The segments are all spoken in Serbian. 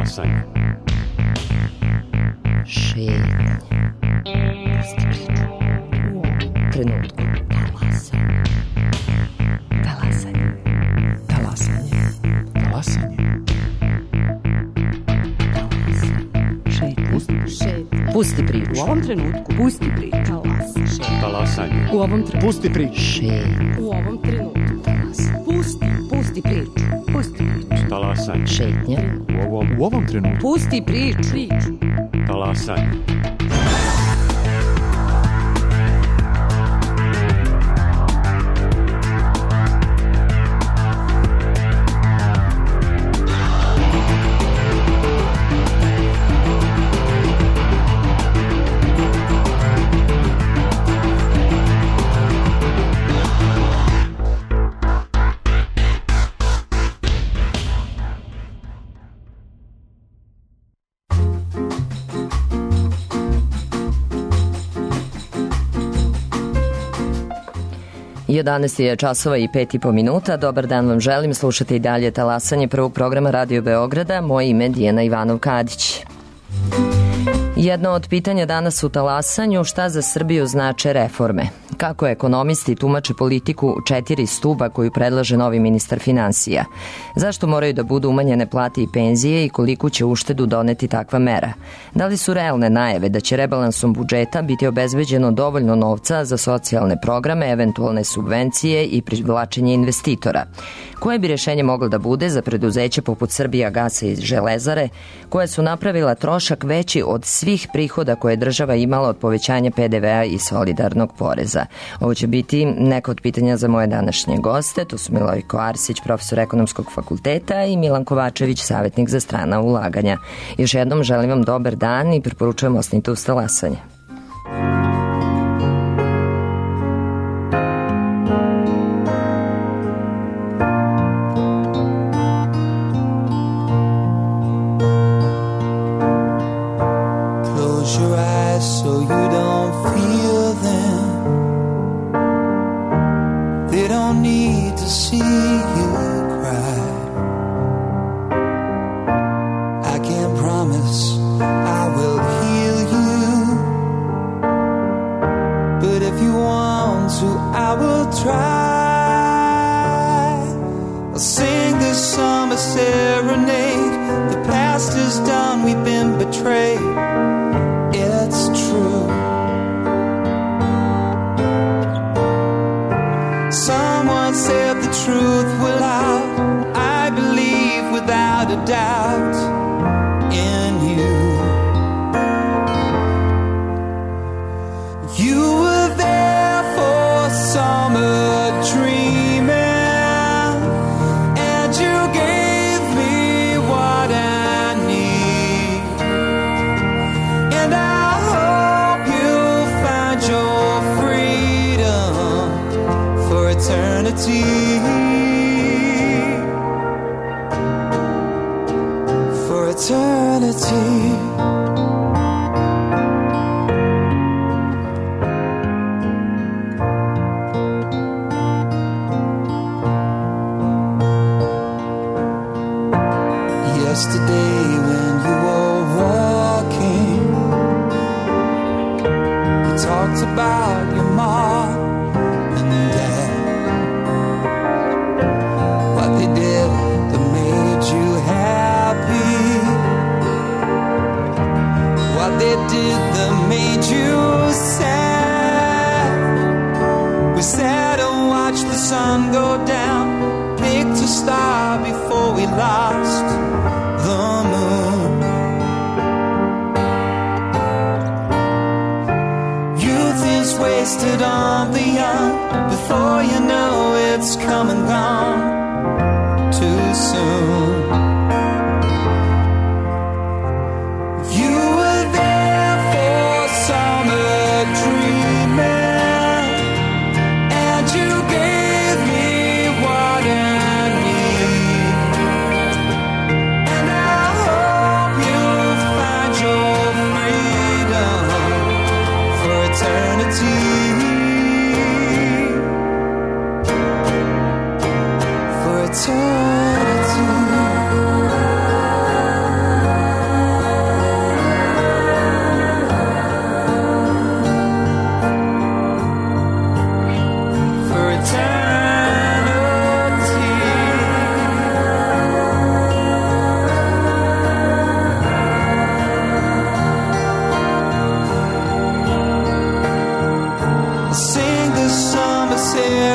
Talasanje. Šetnje. Pusti priču. Trenutku. Talasanje. Talasanje. Talasanje. Talasanje. Pusti priču. U ovom trenutku. Pusti priču. Talasanje. U ovom trenutku. Pusti priču. U ovom trenutku. Pusti priču. Pusti priču. Talasanje. Šetnja. U ovom trenutku. Pusti priču. Talasanje. Jedanaest je časova i 5,5 minuta. Dobar dan vam želim. Slušate i dalje Talasanje prvog programa Radio Beograda. Moje ime je Dijana Ivanov-Kadić. Jedno od pitanja danas u Talasanju: šta za Srbiju znače reforme? Kako ekonomisti tumače politiku 4 stuba koju predlaže novi ministar finansija? Zašto moraju da budu umanjene plate i penzije i koliku će uštedu doneti takva mera? Da li su realne najave da će rebalansom budžeta biti obezbeđeno dovoljno novca za socijalne programe, eventualne subvencije i privlačenje investitora? Koje bi rješenje moglo da bude za preduzeće poput Srbijagasa i Železare, koje su napravila trošak veći od svih prihoda koje je država imala od povećanja PDV-a i solidarnog poreza? Ovo će biti neka od pitanja za moje današnje goste. To su Milojko Arsić, profesor ekonomskog fakulteta, i Milan Kovačević, savjetnik za strana ulaganja. Još jednom želim vam dobar dan i preporučujem ostanite uz Talasanje. For eternity.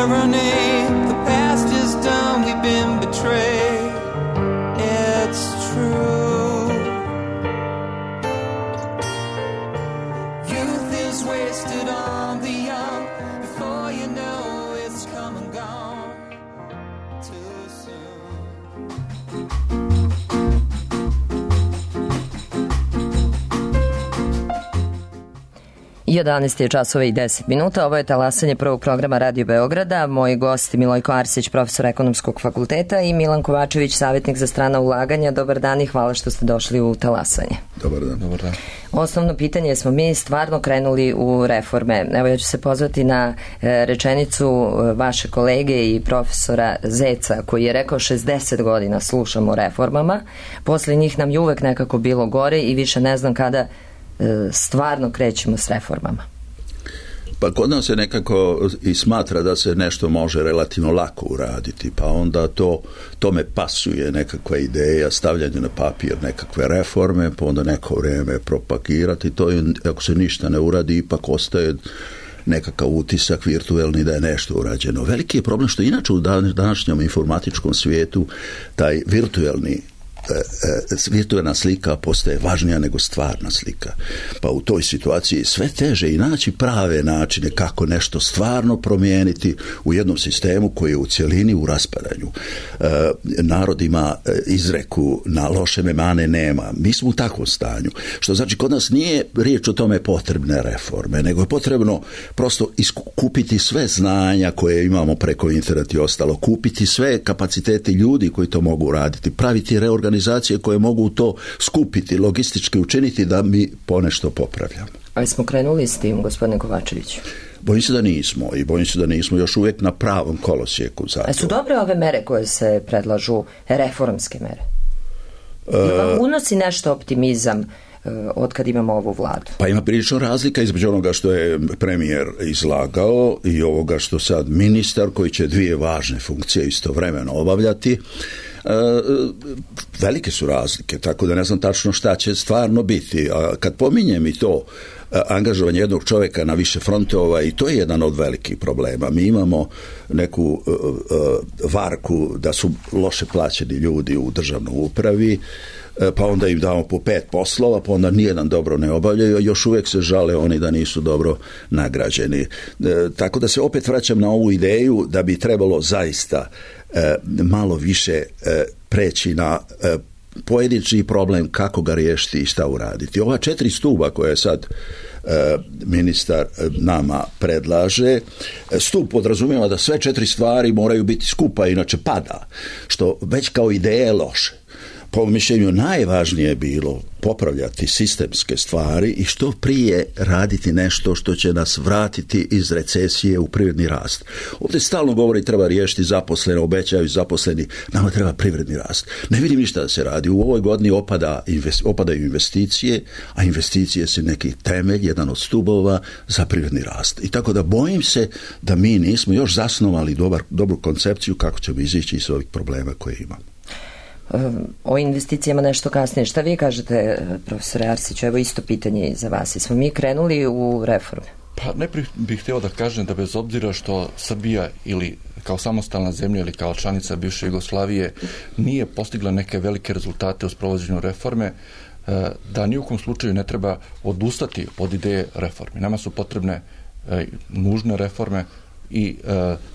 tyranny. The past is done, we've been betrayed. It's true. Youth is wasted on the young. Before you know it's come and gone too soon. 11 je časova i 10 minuta. Ovo je talasanje prvog programa Radio Beograda. Moji gosti Milojko Arsić, profesor Ekonomskog fakulteta, i Milan Kovačević, savjetnik za strana ulaganja. Dobar dan i hvala što ste došli u talasanje. Dobar dan. Dobar dan. Osnovno pitanje, smo mi stvarno krenuli u reforme? Evo, ja ću se pozvati na rečenicu vaše kolege i profesora Zeca, koji je rekao 60 godina slušamo o reformama, posle njih nam je uvek nekako bilo gore i više ne znam kada stvarno krećemo s reformama. Pa kod nas se nekako i smatra da se nešto može relativno lako uraditi, pa onda tome pasuje nekakva ideja, stavljanje na papir nekakve reforme, pa onda neko vrijeme propagirati. To je, ako se ništa ne uradi, ipak ostaje nekakav utisak virtuelni da je nešto urađeno. Veliki je problem što inače u današnjem informatičkom svijetu taj virtualna slika postaje važnija nego stvarna slika. Pa u toj situaciji sve teže i naći prave načine kako nešto stvarno promijeniti u jednom sistemu koji je u cjelini u raspadanju. Narod ima izreku na loše memane nema. Mi smo u takvom stanju. Što znači kod nas nije riječ o tome potrebne reforme, nego je potrebno prosto kupiti sve znanja koje imamo preko interneta i ostalo, kupiti sve kapacitete ljudi koji to mogu raditi, praviti reorganizacije koje mogu to skupiti, logistički učiniti da mi ponešto popravljamo. Ali smo krenuli s tim, gospodine Kovačeviću? Bojim se da nismo još uvijek na pravom kolosijeku za to. Su dobre ove mere koje se predlažu, reformske mere? Unosi nešto optimizam od kad imamo ovu vladu? Pa ima prilično razlika između onoga što je premijer izlagao i ovoga što sad ministar, koji će dvije važne funkcije istovremeno obavljati. Velike su razlike, tako da ne znam tačno šta će stvarno biti. A kad pominjem i to angažovanje jednog čovjeka na više frontova, i to je jedan od velikih problema. Mi imamo neku varku da su loše plaćeni ljudi u državnoj upravi, pa onda im damo po 5 poslova, pa onda nijedan dobro ne obavljaju, a još uvijek se žale oni da nisu dobro nagrađeni. Tako da se opet vraćam na ovu ideju da bi trebalo zaista malo više preći na pojedinačni problem kako ga riješiti i šta uraditi. Ova 4 stuba koje sad ministar nama predlaže, stup podrazumijeva da sve 4 stvari moraju biti skupa, inače pada, što već kao ideja je loše. Po mišljenju najvažnije je bilo popravljati sistemske stvari i što prije raditi nešto što će nas vratiti iz recesije u privredni rast. Ovdje stalno govori treba riješiti zaposlene, obećaju zaposleni, nama treba privredni rast. Ne vidim ništa da se radi. U ovoj godini opadaju investicije, a investicije su neki temelj, jedan od stubova za privredni rast. I tako da bojim se da mi nismo još zasnovali dobru koncepciju kako ćemo izići iz ovih problema koje imamo. O investicijama nešto kasnije. Šta vi kažete, profesore Arsiću? Evo isto pitanje i za vas. Smo mi krenuli u reforme? Pa najprije bih htio da kažem da bez obzira što Srbija ili kao samostalna zemlja ili kao članica bivše Jugoslavije nije postigla neke velike rezultate u sprovođenju reforme, da ni u kom slučaju ne treba odustati od ideje reforme. Nama su potrebne nužne reforme i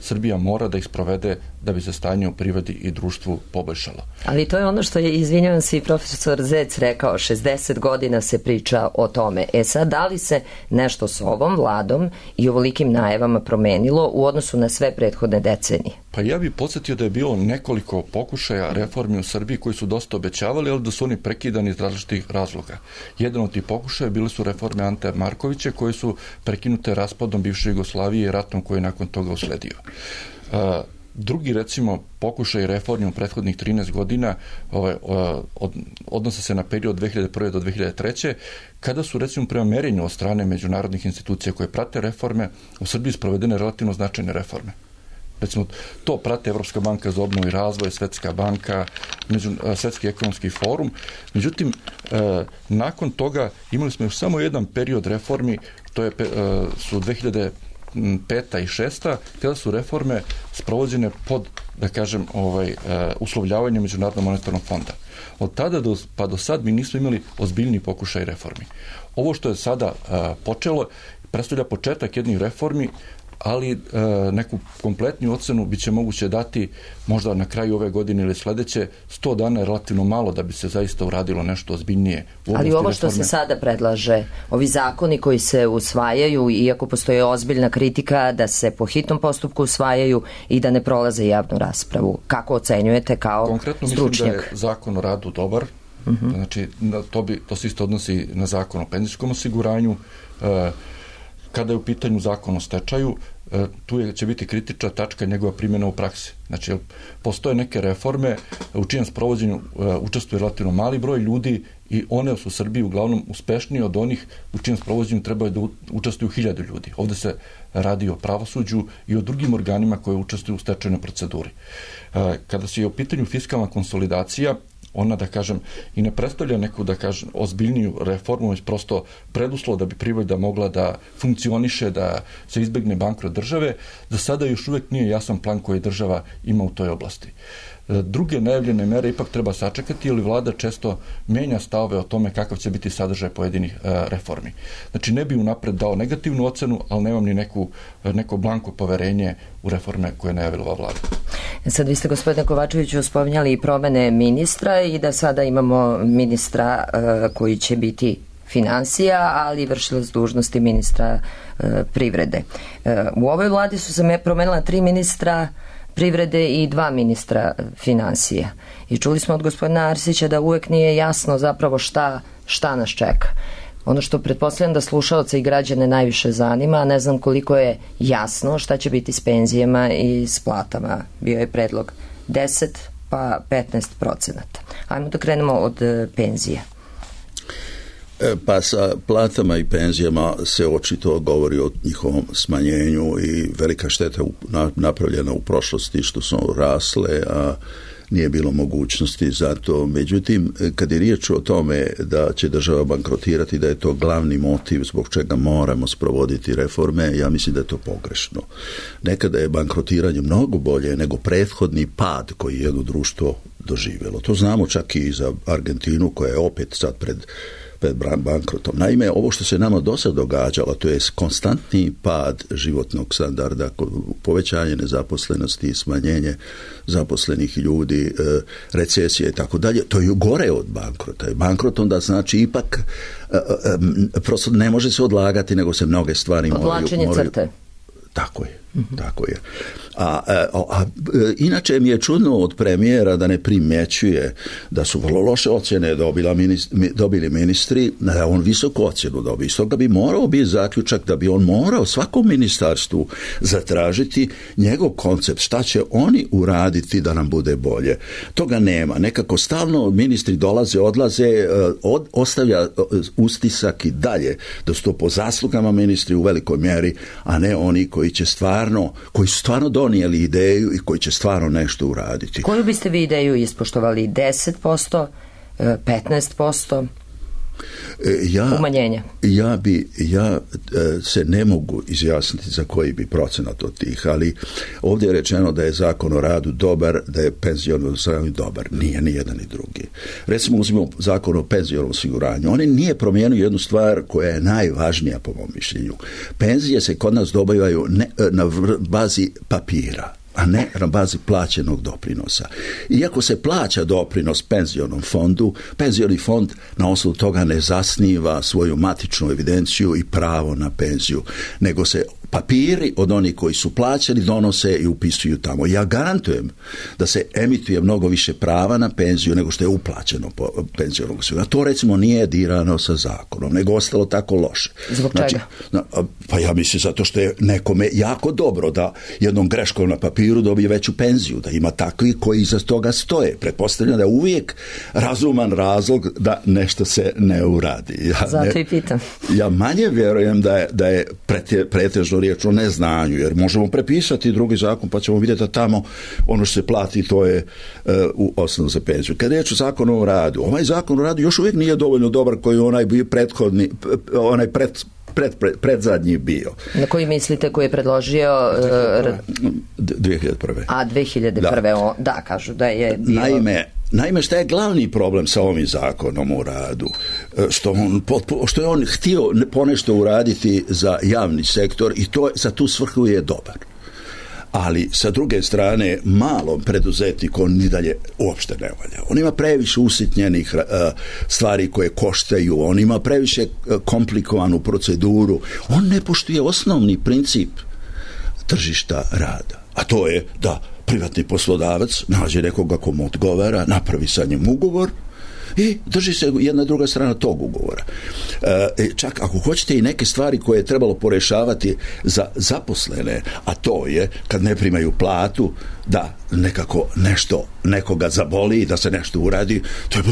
Srbija mora da ih sprovede da bi se stanje u privredi i društvu poboljšalo. Ali to je ono što je, izvinjavam se, i profesor Zec rekao, 60 godina se priča o tome. Sad, da li se nešto s ovom vladom i ovolikim najavama promenilo u odnosu na sve prethodne decenije? Pa ja bih podsjetio da je bilo nekoliko pokušaja reformi u Srbiji koji su dosta obećavali, ali da su oni prekidani iz različitih razloga. Jedan od tih pokušaja bili su reforme Ante Markovića koje su prekinute raspadom bivše Jugoslavije i ratom koji je nakon toga usledio. Drugi, recimo, pokušaj reformi u prethodnih 13 godina odnose se na period 2001. do 2003. kada su, recimo, prema merenju od strane međunarodnih institucija koje prate reforme u Srbiji sprovedene relativno značajne reforme. Recimo, to prate Evropska banka za obnovu i razvoj, Svetska banka, Svetski ekonomski forum. Međutim, nakon toga imali smo još samo jedan period reformi, to je su 2005. i 2006. kada su reforme sprovođene pod, da kažem, uslovljavanjem Međunarodnog monetarnog fonda. Od tada pa do sad mi nismo imali ozbiljni pokušaj reformi. Ovo što je sada počelo predstavlja početak jednih reformi, ali neku kompletniju ocenu bit će moguće dati možda na kraju ove godine ili sledeće. 100 dana je relativno malo da bi se zaista uradilo nešto ozbiljnije. Ali ovo što se sada predlaže, ovi zakoni koji se usvajaju, iako postoje ozbiljna kritika da se po hitnom postupku usvajaju i da ne prolaze javnu raspravu, kako ocenjujete kao konkretno stručnjak? Mislim da je zakon o radu dobar. Znači, to se isto odnosi na zakon o penzijskom osiguranju. Kada je u pitanju zakon o stečaju, tu će biti kritična tačka njegova primjena u praksi. Znači, postoje neke reforme u čijem sprovođenju učestvuje relativno mali broj ljudi i one su u Srbiji uglavnom uspešnije od onih u čijem sprovođenju trebaju da učestvuju 1000 ljudi. Ovde se radi o pravosuđu i o drugim organima koje učestvuju u stečajnoj proceduri. Kada se je u pitanju fiskalna konsolidacija, ona, da kažem, i ne predstavlja neku, da kažem, ozbiljniju reformu, već prosto preduslov da bi privreda mogla da funkcioniše, da se izbegne bankrot države. Za sada još uvek nije jasan plan koji država ima u toj oblasti. Druge najavljene mere ipak treba sačekati, jer vlada često menja stavove o tome kakav će biti sadržaj pojedinih reformi. Znači, ne bi unapred dao negativnu ocenu, ali nemam ni neko blanko poverenje u reforme koje je najavila ova vlada. Sad vi ste, gospodine Kovačeviću, spominjali i promene ministra i da sada imamo ministra koji će biti finansija, ali vršilac dužnosti ministra privrede. U ovoj vladi su se promenila 3 ministra privrede i 2 ministra finansija. I čuli smo od gospodina Arsića da uvek nije jasno zapravo šta nas čeka. Ono što pretpostavljam da slušaoce i građane najviše zanima, a ne znam koliko je jasno šta će biti s penzijama i s platama. Bio je predlog 10 pa 15%. Ajmo da krenemo od penzija. Pa sa platama i penzijama se očito govori o njihovom smanjenju i velika šteta napravljena u prošlosti što su rasle, a nije bilo mogućnosti za to. Međutim, kad je riječ o tome da će država bankrotirati, da je to glavni motiv zbog čega moramo sprovoditi reforme, ja mislim da je to pogrešno. Nekada je bankrotiranje mnogo bolje nego prethodni pad koji je jedno društvo doživjelo. To znamo čak i za Argentinu koja je opet sad pred bankrotom. Naime, ovo što se nama do sad događalo, to je konstantni pad životnog standarda, povećanje nezaposlenosti, smanjenje zaposlenih ljudi, recesije i tako dalje, to je gore od bankrota. Bankrot onda znači ipak prosto ne može se odlagati, nego se mnoge stvari moraju... Odvlačenje crte. Tako je. Tako je. Inače mi je čudno od premijera da ne primjećuje da su vrlo loše ocjene dobili ministri, da on visoku ocjenu dobio. Stoga bi morao biti zaključak da bi on morao svakom ministarstvu zatražiti njegov koncept, šta će oni uraditi da nam bude bolje. Toga nema. Nekako stalno ministri dolaze, odlaze, ostavlja ustisak i dalje da su to po zaslugama ministri u velikoj mjeri, a ne oni koji su stvarno donijeli ideju i koji će stvarno nešto uraditi. Koju biste vi ideju ispoštovali? 10%, 15%? Umanjenja. Ja se ne mogu izjasniti za koji bi procenat od tih, ali ovdje je rečeno da je zakon o radu dobar, da je penziono osiguranje dobar. Nije ni jedan ni drugi. Recimo uzmimo zakon o penzionom osiguranju. On nije promijenio jednu stvar koja je najvažnija po mom mišljenju. Penzije se kod nas dobivaju na bazi papira, a ne na bazi plaćenog doprinosa. Iako se plaća doprinos penzionom fondu, penzioni fond na osnovu toga ne zasniva svoju matičnu evidenciju i pravo na penziju, nego se papiri od onih koji su plaćeni donose i upisuju tamo. Ja garantujem da se emituje mnogo više prava na penziju nego što je uplaćeno po penzionom osiguranju. To recimo nije dirano sa zakonom, nego ostalo tako loše. Zbog čega? Pa ja mislim zato što je nekome jako dobro da jednom greškom na papiru dobije veću penziju, da ima takvi koji iza toga stoje. Pretpostavljam da je uvijek razuman razlog da nešto se ne uradi. Zato i pitam. Ja manje vjerujem da je pretežno riječ o neznanju, jer možemo prepisati drugi zakon pa ćemo vidjeti da tamo ono što se plati to je u osnovu za penziju. Kad je riječ o zakonu o radu, ovaj zakon o radu još uvijek nije dovoljno dobar koji onaj bio prethodni, onaj predzadnji bio. Na koji mislite koji je predložio 2001. A 2001. Da, kažu da je bio... Naime, šta je glavni problem sa ovim zakonom o radu? Što je on htio ponešto uraditi za javni sektor i to za tu svrhu je dobar. Ali sa druge strane malom preduzetniku on ni dalje uopšte ne valja. On ima previše usitnjenih stvari koje koštaju, on ima previše komplikovanu proceduru, on ne poštuje osnovni princip tržišta rada, a to je da privatni poslodavac nađe nekoga komu odgovara, napravi sa njim ugovor i drži se jedna druga strana tog ugovora. Čak ako hoćete i neke stvari koje je trebalo porešavati za zaposlene, a to je kad ne primaju platu, da nekako nešto nekoga zaboli, da se nešto uradi, to je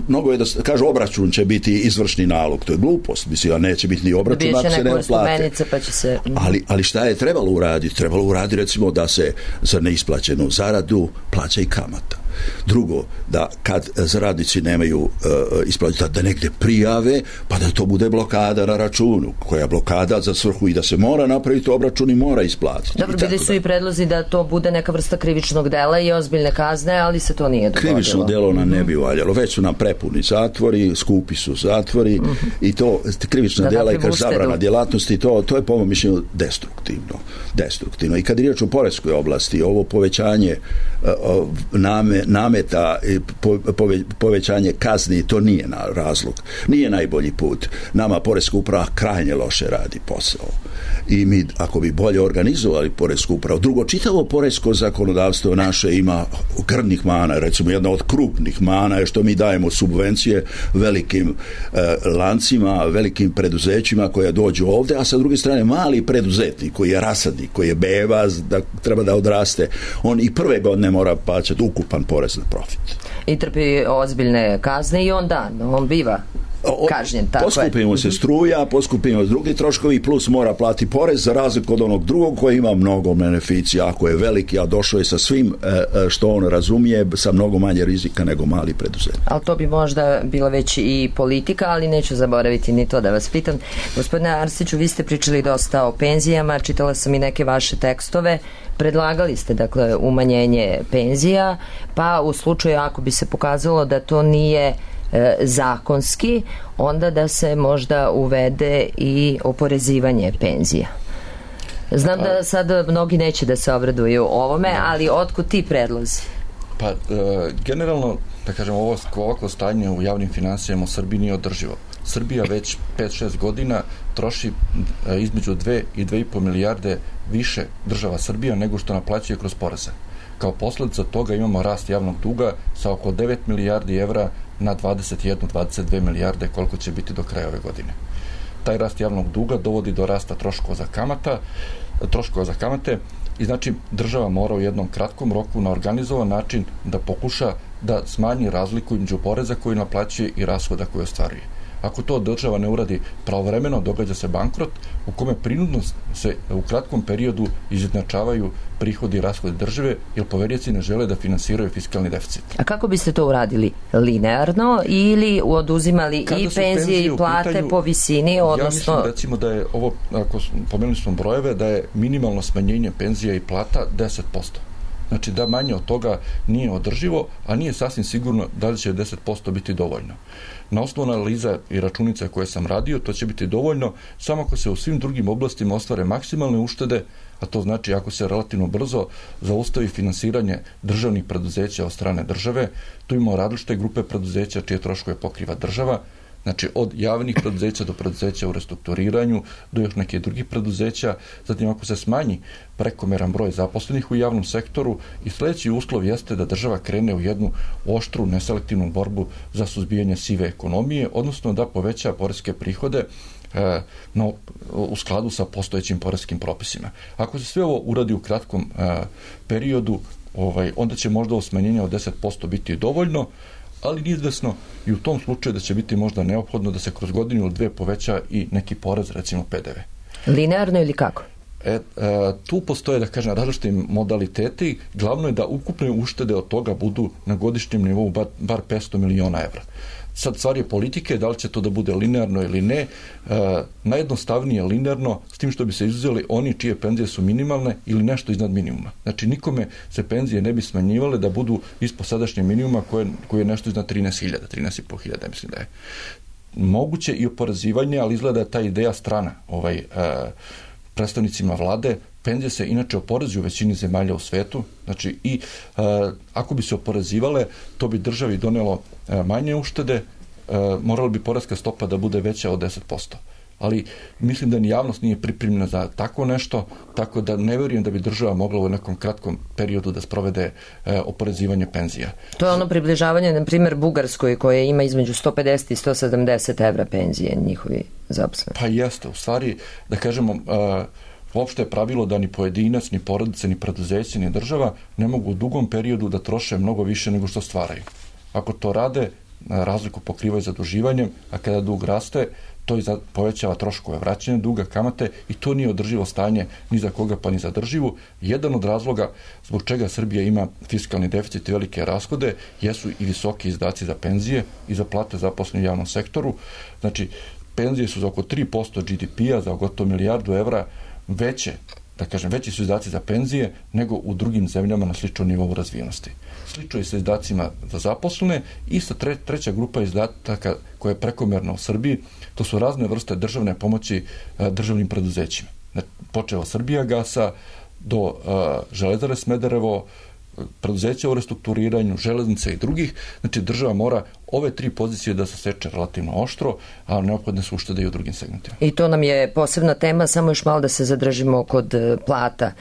mnogo je da kažu obračun će biti izvršni nalog, to je glupost, mislim, a neće biti ni obračun ako se nema plate. Pa će se... ali šta je trebalo uraditi? Trebalo uraditi recimo da se za neisplaćenu zaradu plaća i kamata. Drugo, da kad radnici nemaju isplaćati, da negdje prijave, pa da to bude blokada na računu, koja blokada za svrhu i da se mora napraviti obračun i mora isplatiti. Dobro, bili su i predlozi da to bude neka vrsta krivičnog dela i ozbiljne kazne, ali se to nije dogodilo. Krivično delo nam ne bi valjalo. Već su nam prepuni zatvori, skupi su zatvori i to krivična dela i zabrana djelatnosti, to je po mom mišljenju destruktivno. I kad je riječ o poreskoj oblasti, ovo povećanje nameta, povećanje kazni, to nije razlog, nije najbolji put. Nama poreska uprava krajnje loše radi posao i mi ako bi bolje organizovali poresku upravu. Drugo, čitavo poresko zakonodavstvo naše ima grdnih mana, recimo jedna od krupnih mana je što mi dajemo subvencije velikim lancima, velikim preduzećima koja dođu ovdje, a sa druge strane mali preduzetnik koji je rasadnik, koji je beba, da treba da odraste, on i prve godine mora plaćati ukupan porez na profit. I trpi ozbiljne kazne i on biva kažnjen. Poskupimo se struja, poskupimo drugi troškovi, plus mora plati porez za razliku od onog drugog koji ima mnogo beneficija, ako je veliki, a došao je sa svim što on razumije, sa mnogo manje rizika nego mali preduzetnik. Ali to bi možda bila već i politika, ali neću zaboraviti ni to da vas pitam. Gospodine Arsiću, vi ste pričali dosta o penzijama, čitala sam i neke vaše tekstove, predlagali ste dakle umanjenje penzija, pa u slučaju ako bi se pokazalo da to nije zakonski, onda da se možda uvede i oporezivanje penzija. Znam da sad mnogi neće da se obraduju ovome, ali otkud ti predlozi? Pa, generalno, da kažem, ovako stanje u javnim finansijama u Srbiji nije održivo. Srbija već 5-6 godina troši između 2 i 2,5 milijarde više država Srbija nego što naplaćuje kroz poreze. Kao posljedica toga imamo rast javnog duga sa oko 9 milijardi evra na 21-22 milijarde koliko će biti do kraja ove godine. Taj rast javnog duga dovodi do rasta troškova za kamate i znači država mora u jednom kratkom roku na organizovan način da pokuša da smanji razliku između poreza koji naplaćuje i rashoda koji ostvaruje. Ako to država ne uradi pravovremeno, događa se bankrot u kome prinudno se u kratkom periodu izjednačavaju prihodi i rashodi države, jer poverioci ne žele da finansiraju fiskalni deficit. A kako biste to uradili? Linearno ili oduzimali i penzije i plate po visini? Odnosno... Ja mislim recimo da je ovo, ako pomenuli smo brojeve, da je minimalno smanjenje penzija i plata 10%. Znači da manje od toga nije održivo, a nije sasvim sigurno da li će 10% biti dovoljno. Na osnovu analiza i računica koje sam radio, to će biti dovoljno samo ako se u svim drugim oblastima ostvare maksimalne uštede, a to znači ako se relativno brzo zaustavi finansiranje državnih preduzeća od strane države. Tu imamo različite grupe preduzeća čije troškove pokriva država, znači od javnih preduzeća do preduzeća u restrukturiranju, do još nekih drugih preduzeća. Zatim ako se smanji prekomeran broj zaposlenih u javnom sektoru i sljedeći uslov jeste da država krene u jednu oštru, neselektivnu borbu za suzbijanje sive ekonomije, odnosno da poveća poreske prihode u skladu sa postojećim poreskim propisima. Ako se sve ovo uradi u kratkom periodu, onda će možda smanjenje od 10% biti dovoljno, ali izvesno i u tom slučaju da će biti možda neophodno da se kroz godinu ili dve poveća i neki porez, recimo PDV. Linearno ili kako? Tu postoje, da kažem, različiti modaliteti. Glavno je da ukupne uštede od toga budu na godišnjem nivou bar 500 miliona evra. Sad stvar je politike, da li će to da bude linearno ili ne. Najjednostavnije linearno, s tim što bi se izuzeli oni čije penzije su minimalne ili nešto iznad minimuma. Znači nikome se penzije ne bi smanjivale da budu ispod sadašnje minimuma koje je nešto iznad 13.000, 13.500, mislim da je. Moguće i oporezivanje, ali izgleda da je ta ideja strana predstavnicima vlade. Penzije se inače oporezuju u većini zemalja u svetu, znači i ako bi se oporezivale, to bi državi donelo manje uštede, morala bi poreska stopa da bude veća od 10%. Ali mislim da ni javnost nije pripremljena za tako nešto, tako da ne vjerujem da bi država mogla u nekom kratkom periodu da sprovede oporezivanje penzija. To je ono približavanje, na primjer, Bugarskoj, koje ima između 150 i 170 evra penzije njihovi zaposleni. Pa jeste, u stvari, da kažemo, uopšte je pravilo da ni pojedinac, ni porodice, ni preduzeće, ni država ne mogu u dugom periodu da troše mnogo više nego što stvaraju. Ako to rade, razliku pokrivaju zaduživanjem, a kada dug raste, to i povećava troškove vraćanja duga, kamate i to nije održivo stanje ni za koga pa ni za državu. Jedan od razloga zbog čega Srbija ima fiskalni deficit i velike rashode jesu i visoki izdaci za penzije i za plate zaposlenih u javnom sektoru. Znači, penzije su za oko 3% GDP-a, za gotovo milijardu evra veće, da kažem, veći su izdaci za penzije nego u drugim zemljama na sličnom nivou razvijenosti. Slično je sa izdacima za zaposlene i sa treća grupa izdataka koja je prekomerna u Srbiji, to su razne vrste državne pomoći državnim preduzećima. Počeo od Srbijagasa do Železare Smederevo, preduzeća u restrukturiranju, železnice i drugih. Znači država mora ove tri pozicije da se seče relativno oštro, a neophodne su uštede i u drugim segmentima. I to nam je posebna tema, samo još malo da se zadržimo kod plata.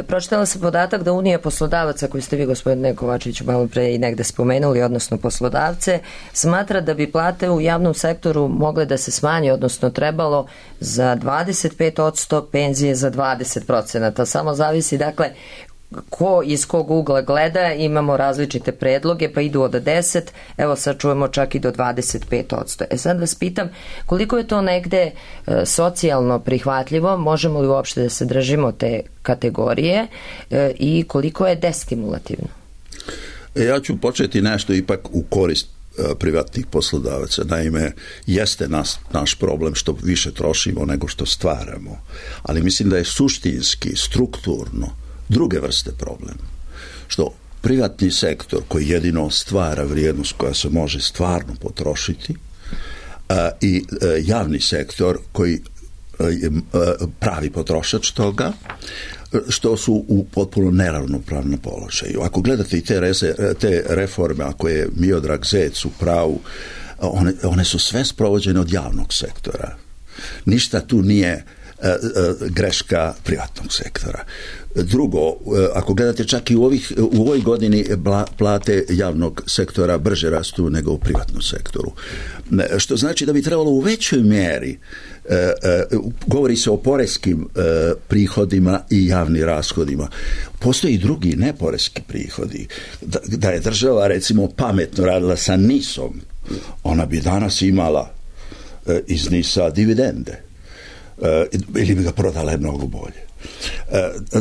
Pročitala sam podatak da Unija poslodavaca, koju ste vi, gospodine Kovačeviću, malo pre i negde spomenuli, odnosno poslodavce, smatra da bi plate u javnom sektoru mogle da se smanje, odnosno trebalo za 25%, penzije za 20%. Samo zavisi, dakle, ko iz kog ugla gleda, imamo različite predloge, pa idu od 10, evo sad čujemo čak i do 25%. Sad vas pitam, koliko je to negde socijalno prihvatljivo, možemo li uopšte da se držimo te kategorije i koliko je destimulativno? Ja ću početi nešto ipak u korist privatnih poslodavaca. Naime, jeste naš problem što više trošimo nego što stvaramo, ali mislim da je suštinski, strukturno druge vrste problema. Što privatni sektor koji jedino stvara vrijednost koja se može stvarno potrošiti i javni sektor koji je pravi potrošač toga, što su u potpuno neravnopravnom položaju. Ako gledate i te reforme, ako je Miodrag Zec u pravu, one su sve sprovođene od javnog sektora. Ništa tu nije greška privatnog sektora. Drugo, ako gledate čak i u ovoj godini plate javnog sektora brže rastu nego u privatnom sektoru. Što znači da bi trebalo u većoj mjeri, govori se o poreskim prihodima i javnim rashodima. Postoji i drugi neporeski prihodi. Da je država recimo pametno radila sa NIS-om, ona bi danas imala iz NIS-a dividende. Ili bi ga prodala mnogo bolje.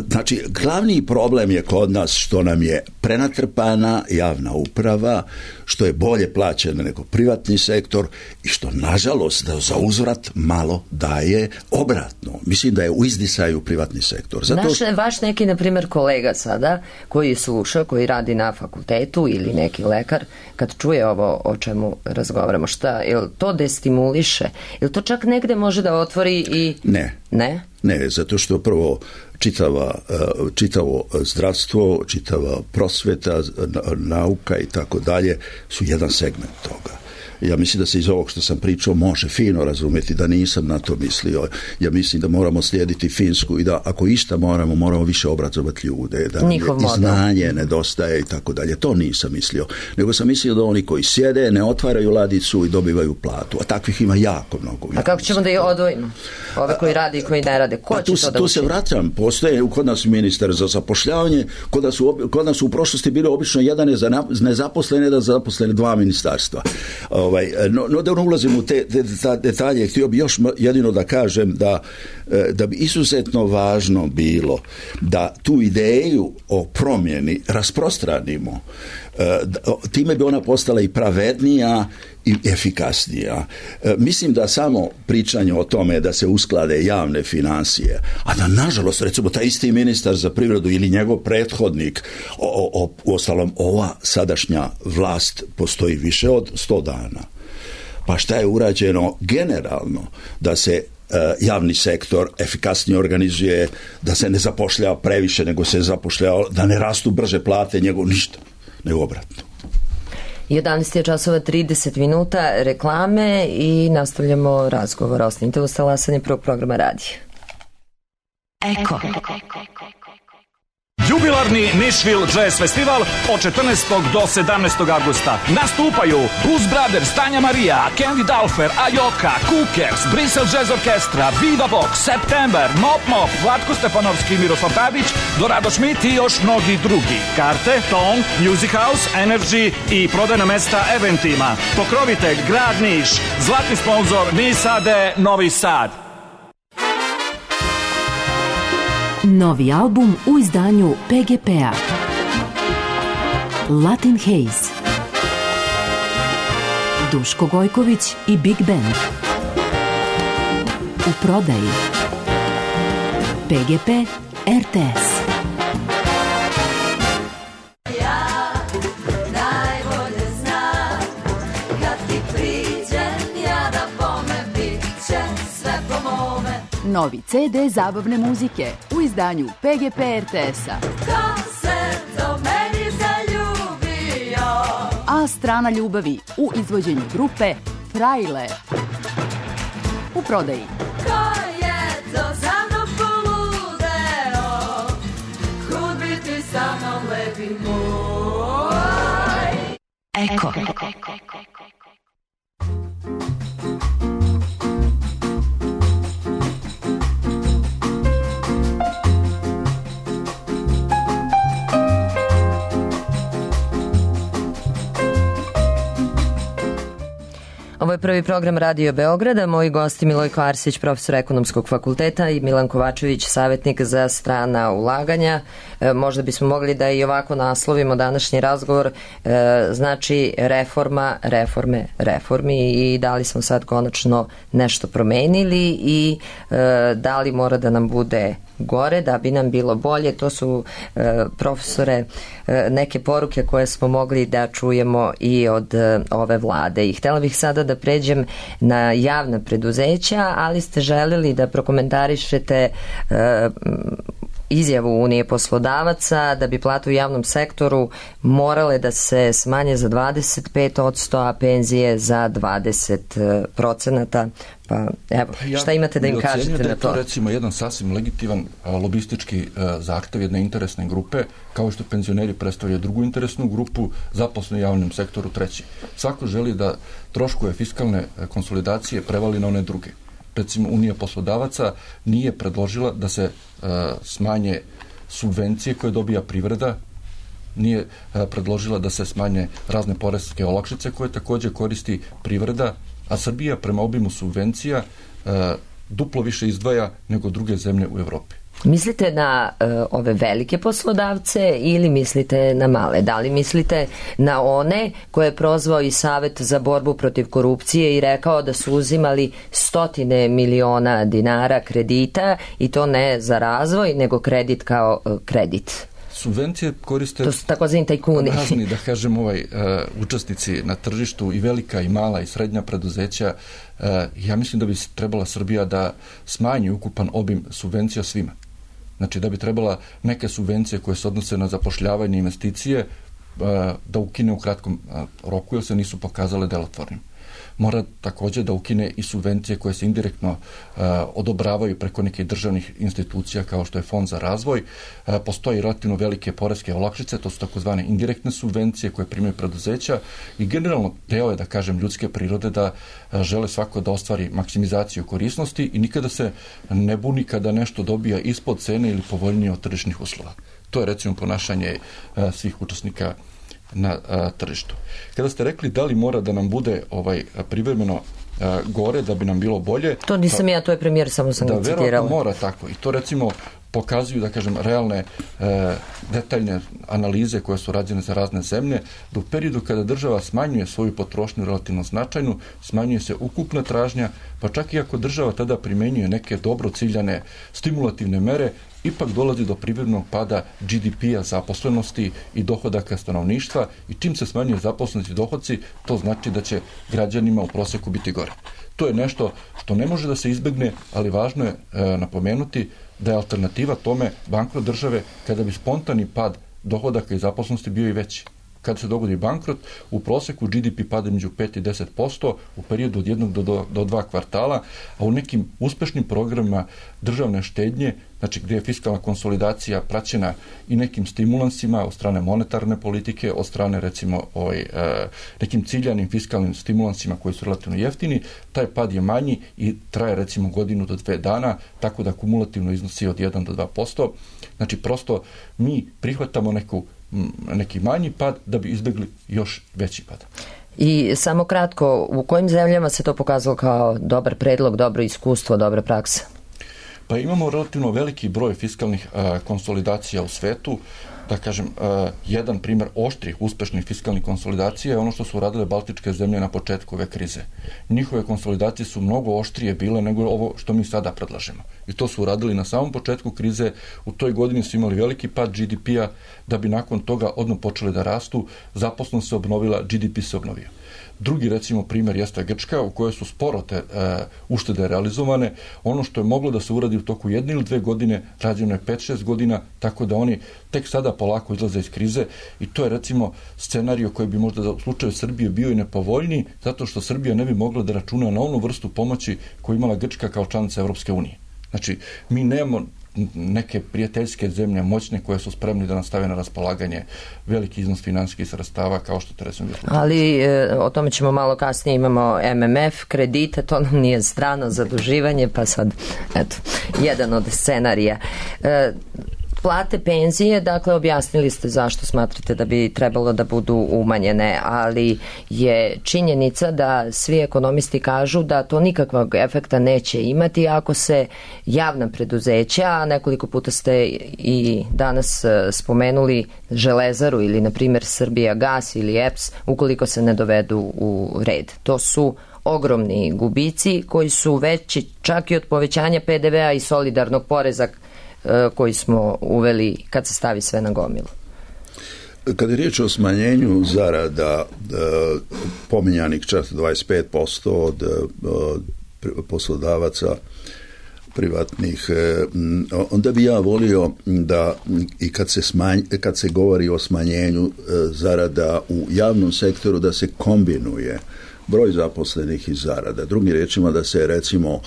Znači, glavni problem je kod nas što nam je prenatrpana javna uprava, što je bolje plaćena nego privatni sektor i što, nažalost, da za uzvrat malo daje obratno. Mislim da je u izdisaju privatni sektor. Vaš neki, na primjer, kolega sada, koji sluša, koji radi na fakultetu ili neki lekar, kad čuje ovo o čemu razgovaramo, šta, jel to destimuliše? Jel to čak negde može da otvori i... Ne? Ne, zato što prvo čitavo zdravstvo, čitava prosveta, nauka i tako dalje su jedan segment toga. Ja mislim da se iz ovog što sam pričao može fino razumjeti da nisam na to mislio. Ja mislim da moramo slijediti Finsku i da ako išta moramo više obrazovati ljude, da i znanje nedostaje i tako dalje. To nisam mislio. Nego sam mislio da oni koji sjede ne otvaraju ladicu i dobivaju platu. A takvih ima jako mnogo. A kako ćemo da ih odvojimo? Ove koji rade i koji ne rade. Ko će to da učini? Tu se vraćam. Postoje kod nas ministar za zapošljavanje. Kod nas u prošlosti bilo obično jedan je za nezaposlene, da zaposlene dva ministarstva. No da ne ulazim u te detalje, htio bi još jedino da kažem da bi izuzetno važno bilo da tu ideju o promjeni rasprostranimo. Time bi ona postala i pravednija i efikasnija. Mislim da samo pričanje o tome da se usklade javne financije, a da nažalost recimo taj isti ministar za privredu ili njegov prethodnik, uostalom ova sadašnja vlast postoji više od 100 dana. Pa šta je urađeno generalno da se javni sektor efikasnije organizuje, da se ne zapošljava previše nego se zapošljava, da ne rastu brže plate, ništa, nego obratno. 11:30 reklame i nastavljamo razgovor. Ostanite uz talasanje prvog programa radija. Eko. Jubilarni Nashville Jazz Festival od 14. do 17. augusta. Nastupaju Blues Brothers, Tanja Marija, Candy Dulfer, Ajoka, Cookers, Bristol Jazz Orkestra, Viva Vox, September, Mop Mop, Vlatko Stefanovski, Miroslav Tadić, Dorado Schmidt i još mnogi drugi. Karte, Tone, Music House, Energy i prodajna mesta eventima. Pokrovitelj Grad Niš, zlatni sponzor Nisade Novi Sad. Novi album u izdanju PGP-a. Latin Haze. Duško Gojković i Big Band. U prodaji. PGP RTS. Novi CD zabavne muzike u izdanju PGP RTS-a. Ko se do meni zaljubio? A strana ljubavi u izvođenju grupe Frajle. U prodaji. Ko je to za mnom poludeo? Kud biti sa mnom lepi moj? Eko. Ovo je prvi program Radio Beograda. Moji gosti Milojko Arsić, profesor Ekonomskog fakulteta, i Milan Kovačević, savjetnik za strana ulaganja. Možda bismo mogli da i ovako naslovimo današnji razgovor. Znači reforma, reformi, i da li smo sad konačno nešto promenili i da li mora da nam bude gore da bi nam bilo bolje. To su, profesore, neke poruke koje smo mogli da čujemo i od ove vlade. I htjela bih sada da pređem na javna preduzeća, ali ste želeli da prokomentarišete izjavu Unije poslodavaca da bi plate u javnom sektoru morale da se smanje za 25%, a penzije za 20%. Pa evo, šta imate da im kažete na to? To je recimo jedan sasvim legitiman lobistički zahtev jedne interesne grupe, kao što penzioneri predstavljaju drugu interesnu grupu, zaposleni u javnom sektoru treći. Svako želi da troškove fiskalne konsolidacije prevali na one druge. Recimo, Unija poslodavaca nije predložila da se smanje subvencije koje dobija privreda, nije predložila da se smanje razne poreske olakšice koje također koristi privreda, a Srbija prema obimu subvencija duplo više izdvaja nego druge zemlje u Evropi. Mislite na ove velike poslodavce ili mislite na male? Da li mislite na one koje je prozvao i Savet za borbu protiv korupcije i rekao da su uzimali 100 miliona dinara kredita, i to ne za razvoj, nego kredit kao kredit? Subvencije koriste to su takozvani tajkuni. Razni, da kažem, učesnici na tržištu, i velika i mala i srednja preduzeća. Ja mislim da bi trebala Srbija da smanji ukupan obim subvencija svima. Znači da bi trebala neke subvencije koje se odnose na zapošljavanje i investicije da ukine u kratkom roku, jer se nisu pokazale delotvornim. Mora također da ukine i subvencije koje se indirektno odobravaju preko nekih državnih institucija kao što je Fond za razvoj. Postoji relativno velike poreske olakšice, to su takozvane indirektne subvencije koje primaju preduzeća, i generalno deo je, da kažem, ljudske prirode da žele svako da ostvari maksimizaciju korisnosti i nikada se ne buni kada nešto dobija ispod cene ili povoljnije od tržišnih uslova. To je recimo ponašanje svih učesnika na tržištu. Kada ste rekli da li mora da nam bude privremeno gore da bi nam bilo bolje. To nisam ja, to je premijer, samo sam ga citirala. Da, verovatno mora tako. I to recimo pokazuju, da kažem, realne detaljne analize koje su rađene za razne zemlje, da u periodu kada država smanjuje svoju potrošnju relativno značajnu, smanjuje se ukupna tražnja, pa čak i ako država tada primenjuje neke dobro ciljane stimulativne mere, ipak dolazi do privrednog pada GDP-a, zaposlenosti i dohodaka stanovništva, i čim se smanjuje zaposlenost i dohodci, to znači da će građanima u proseku biti gore. To je nešto što ne može da se izbegne, ali važno je napomenuti da je alternativa tome bankrot države kada bi spontani pad dohodaka i zaposlenosti bio i veći. Kada se dogodi bankrot, u proseku GDP pada među 5 i 10% u periodu od 1 do 2 kvartala, a u nekim uspešnim programima državne štednje, znači gdje je fiskalna konsolidacija praćena i nekim stimulansima od strane monetarne politike, od strane recimo nekim ciljanim fiskalnim stimulansima koji su relativno jeftini, taj pad je manji i traje recimo 1 do 2 dana, tako da kumulativno iznosi od 1 do 2%. Znači prosto mi prihvatamo neki manji pad da bi izbjegli još veći pad. I samo kratko, u kojim zemljama se to pokazalo kao dobar predlog, dobro iskustvo, dobra praksa? Pa imamo relativno veliki broj fiskalnih konsolidacija u svetu. Da kažem, jedan primjer oštrih, uspešnih fiskalnih konsolidacija je ono što su radile baltičke zemlje na početku ove krize. Njihove konsolidacije su mnogo oštrije bile nego ovo što mi sada predlažemo. I to su uradili na samom početku krize. U toj godini su imali veliki pad GDP-a, da bi nakon toga odmah počeli da rastu, zaposlenost se obnovila, GDP se obnovio. Drugi, recimo, primjer jeste Grčka, u kojoj su sporo te uštede realizovane. Ono što je moglo da se uradi u toku 1 ili 2 godine, rađeno je 5-6 godina, tako da oni tek sada polako izlaze iz krize, i to je recimo scenario koji bi možda u slučaju Srbije bio i nepovoljniji, zato što Srbija ne bi mogla da računa na onu vrstu pomoći koju imala Grčka kao članica Evropske unije. Znači, mi nemamo neke prijateljske zemlje moćne koje su spremni da nam stave na raspolaganje veliki iznos finansijskih sredstava kao što to recimo bilo. Ali o tome ćemo malo kasnije, imamo MMF, kredite, to nam nije strano zaduživanje, pa sad, eto, jedan od scenarija. Plate, penzije, dakle objasnili ste zašto smatrate da bi trebalo da budu umanjene, ali je činjenica da svi ekonomisti kažu da to nikakvog efekta neće imati ako se javna preduzeća, a nekoliko puta ste i danas spomenuli Železaru ili na primjer Srbijagas ili EPS, ukoliko se ne dovedu u red. To su ogromni gubici koji su veći čak i od povećanja PDV-a i solidarnog poreza koji smo uveli kad se stavi sve na gomilu. Kad je riječ o smanjenju zarada pominjanih čak 25% od poslodavaca privatnih, onda bi ja volio da i kad se govori o smanjenju zarada u javnom sektoru, da se kombinuje broj zaposlenih i zarada. Drugim riječima, da se recimo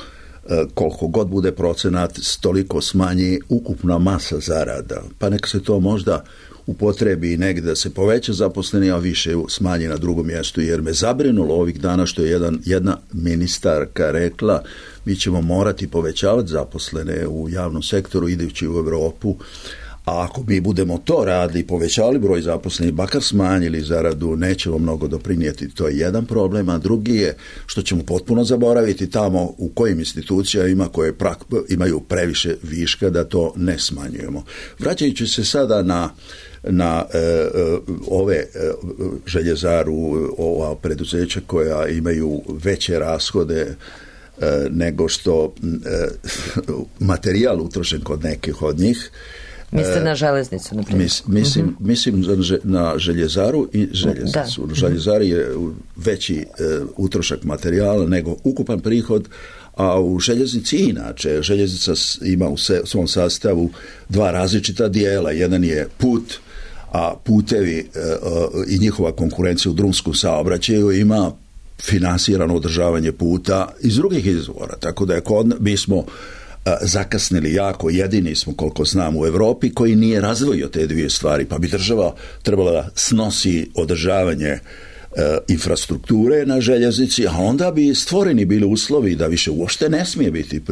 koliko god bude procenat, toliko smanji ukupna masa zarada. Pa neka se to možda upotrebi negdje da se poveća zaposleni, a više smanji na drugom mjestu, jer me zabrinulo ovih dana što je jedna ministarka rekla, mi ćemo morati povećavati zaposlene u javnom sektoru idući u Europu, a ako mi budemo to radili, povećali broj zaposlenih, bakar smanjili zaradu, nećemo mnogo doprinijeti. To je jedan problem, a drugi je što ćemo potpuno zaboraviti tamo u kojim institucijama koje imaju previše viška, da to ne smanjujemo. Vraćajući se sada na ove Željezaru, ova preduzeća koja imaju veće rashode nego što materijal utrošen kod nekih od njih. Mislite na železnicu, na primjer? Mislim na Željezaru i željeznicu. Da. Željezari je veći utrošak materijala nego ukupan prihod, a u željeznici inače. Željeznica ima u svom sastavu 2 različita dijela. Jedan je put, a putevi i njihova konkurencija u drumskom saobraćaju ima finansirano održavanje puta iz drugih izvora. Tako da mi smo zakasnili jako, jedini smo koliko znam u Europi koji nije razdvojio te dvije stvari, pa bi država trebala da snosi održavanje infrastrukture na željeznici, a onda bi stvoreni bili uslovi da više uopšte ne smije biti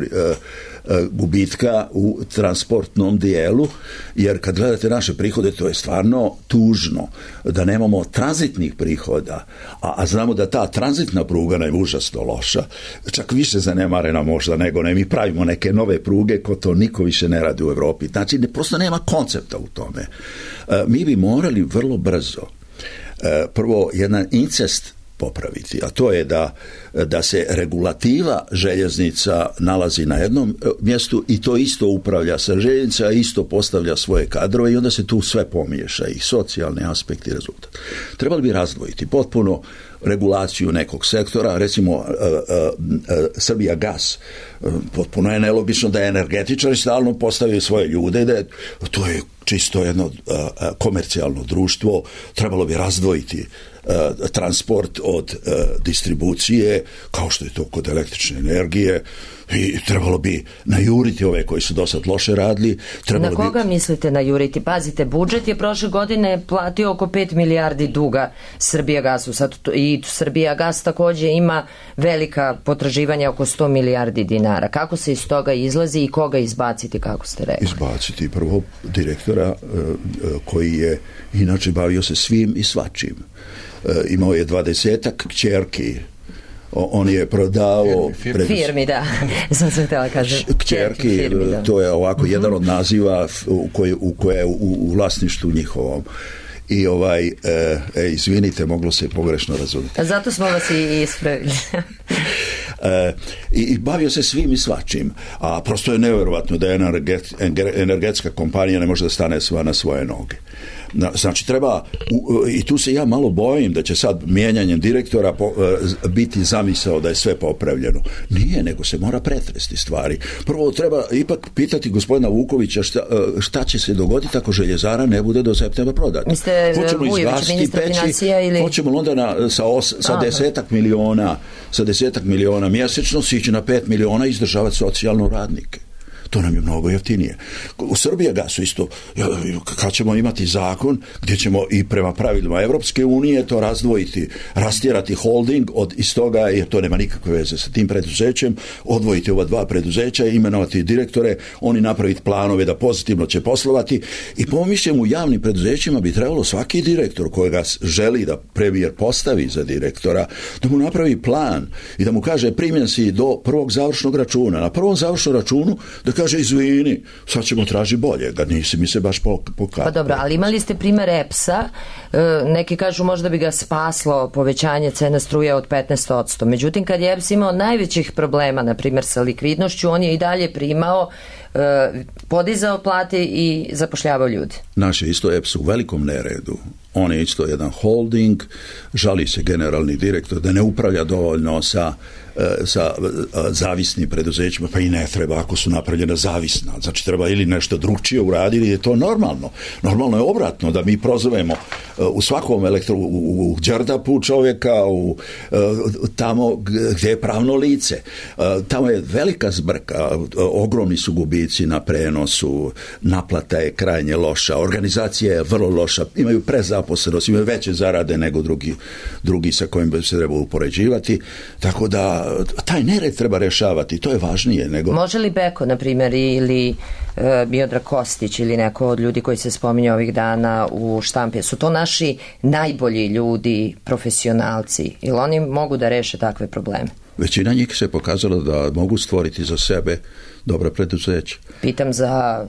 gubitka u transportnom dijelu, jer kad gledate naše prihode, to je stvarno tužno da nemamo tranzitnih prihoda, a znamo da ta tranzitna pruga nam je užasno loša, čak više zanemarena možda nego ne. Mi pravimo neke nove pruge ko to niko više ne radi u Evropi. Znači, prosto nema koncepta u tome. Mi bi morali vrlo brzo prvo jedan incest popraviti, a to je da se regulativa željeznica nalazi na jednom mjestu i to isto upravlja sa željeznica, isto postavlja svoje kadrove i onda se tu sve pomiješa, i socijalni aspekt i rezultat. Trebali bi razdvojiti potpuno regulaciju nekog sektora, recimo Srbija gas. Potpuno je nelogično da je energetičari stalno postavljaju svoje ljude, da je, to je čisto jedno komercijalno društvo, trebalo bi razdvojiti transport od distribucije, kao što je to kod električne energije, i trebalo bi najuriti ove koji su dosad loše radili. Na koga mislite najuriti? Pazite, budžet je prošle godine platio oko 5 milijardi duga Srbijagasu. Sad i Srbijagas također ima velika potraživanja, oko 100 milijardi dinara. Kako se iz toga izlazi i koga izbaciti, kako ste rekli? Izbaciti prvo direktora koji je inače bavio se svim i svačim. Imao je 20-ak kćerki. On je prodao firmi, da. Sam se htjela kažem. Kćerki, to je ovako jedan od naziva u koje je u vlasništvu njihovom. I izvinite, moglo se pogrešno razumjeti. Zato smo vas i ispravili. I bavio se svim i svačim, a prosto je nevjerovatno da energetska kompanija ne može da stane sva na svoje noge. Znači treba, i tu se ja malo bojim da će sad mijenjanjem direktora biti zamisao da je sve popravljeno. Nije, nego se mora pretresti stvari. Prvo treba ipak pitati gospodina Vukovića šta će se dogoditi ako željezara ne bude do septembra prodata. Hoćemo izgasiti peći, ili... hoćemo onda sa 10 miliona mjesečno sići na 5 miliona i izdržavati socijalno radnike. To nam je mnogo jeftinije. U Srbijagasu isto, kad ćemo imati zakon gdje ćemo i prema pravilima Evropske unije to razdvojiti, rastjerati holding iz toga, jer to nema nikakve veze sa tim preduzećem, odvojiti ova dva preduzeća, imenovati direktore, oni napraviti planove da pozitivno će poslovati, i po mišljenju u javnim preduzećima bi trebalo svaki direktor kojega želi da premijer postavi za direktora, da mu napravi plan i da mu kaže primjen si do prvog završnog računa. Na prvom završnom računu da kaže izvini, sad ćemo tražiti bolje, da nisi mi se baš pokazao. Pa dobro, ali imali ste primjer EPS-a, neki kažu možda bi ga spaslo povećanje cene struje od 15%. Međutim, kad je EPS imao najvećih problema, na primjer sa likvidnošću, on je i dalje primao, podizao plate i zapošljavao ljudi. Naš je isto EPS u velikom neredu. On je isto jedan holding, žali se generalni direktor da ne upravlja dovoljno sa zavisnim preduzećima, pa i ne treba ako su napravljena zavisna. Znači treba ili nešto drugčije uraditi, je to normalno. Normalno je obratno da mi prozovemo u svakom u Đerdapu čovjeka, tamo gdje je pravno lice. Tamo je velika zbrka, ogromni su gubici na prenosu, naplata je krajnje loša, organizacija je vrlo loša, imaju prezaposlenost, imaju veće zarade nego drugi sa kojim bi se trebalo upoređivati, tako da taj nered treba rješavati, to je važnije nego... Može li Beko, na primjer, ili Miodrag Kostić ili neko od ljudi koji se spominju ovih dana u štampi, su to naši najbolji ljudi, profesionalci, ili oni mogu da reše takve probleme? Većina njih se pokazala da mogu stvoriti za sebe dobra preduzeća. Pitam za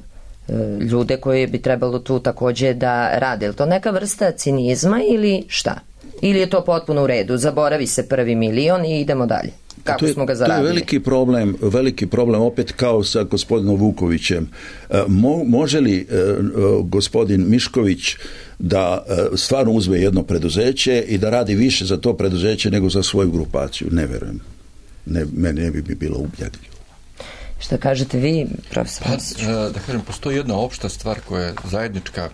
ljude koji bi trebalo tu također da rade. Je to neka vrsta cinizma ili šta? Ili je to potpuno u redu? Zaboravi se prvi milion i idemo dalje. Kako smo ga zaradili? To je veliki problem opet kao sa gospodinom Vukovićem. Može li gospodin Mišković da stvarno uzme jedno preduzeće i da radi više za to preduzeće nego za svoju grupaciju? Ne verujem. Meni ne bi bilo ubjedljivo. Šta kažete vi, profesor? Da kažem, postoji jedna opšta stvar koja je zajednička